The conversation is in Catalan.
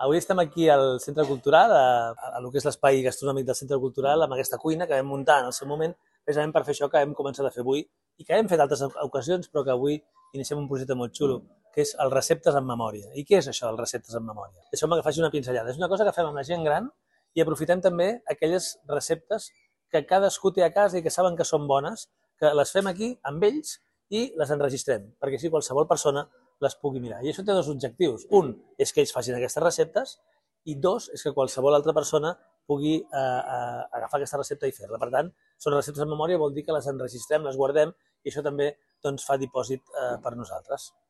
Avui estem aquí al Centre Cultural, a lo que és l'espai gastronòmic del Centre Cultural, amb aquesta cuina que vam muntar en el seu moment, precisament per fer això que hem començat a fer avui i que hem fet altres ocasions, però que avui iniciem un projecte molt xulo, que és el receptes en memòria. I què és això, el receptes en memòria? Deixeu-me que faci una pinzellada. És una cosa que fem amb la gent gran i aprofitem també aquelles receptes que cadascú té a casa i que saben que són bones, que les fem aquí amb ells i les enregistrem, perquè així qualsevol persona les pugui mirar. I això té dos objectius. Un és que ells facin aquestes receptes i dos és que qualsevol altra persona pugui agafar aquesta recepta i fer-la. Per tant, són receptes en memòria, vol dir que les enregistrem, les guardem i això també doncs, fa dipòsit per nosaltres.